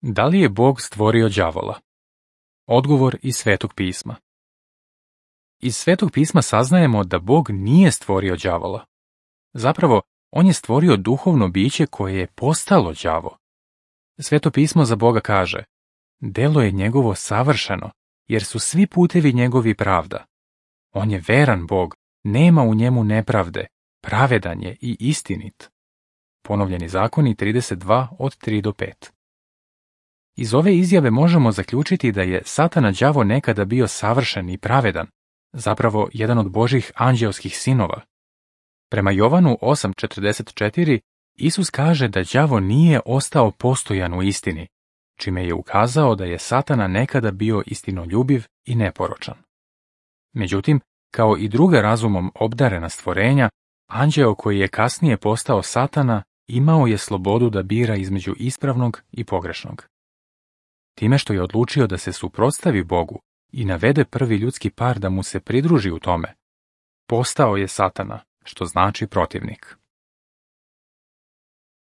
Da li je Bog stvorio đavola? Odgovor iz Svetog pisma. Iz Svetog pisma saznajemo da Bog nije stvorio đavola. Zapravo, on je stvorio duhovno biće koje je postalo đavo. Sveto pismo za Boga kaže: delo je njegovo savršeno, jer su svi putevi njegovi pravda. On je veran Bog, nema u njemu nepravde, pravedan je i istinit. Ponovljeni zakoni 32 od 3 do 5. Iz ove izjave možemo zaključiti da je Satana đavo nekada bio savršen i pravedan, zapravo jedan od Božjih anđeoskih sinova. Prema Jovanu 8:44 Isus kaže da đavo nije ostao postojan u istini, čime je ukazao da je Satana nekada bio istinoljubiv i neporočan. Međutim, kao i druga razumom obdarena stvorenja, anđeo koji je kasnije postao Satana imao je slobodu da bira između ispravnog i pogrešnog. Time što je odlučio da se suprotstavi Bogu i navede prvi ljudski par da mu se pridruži u tome, postao je Satana, što znači protivnik.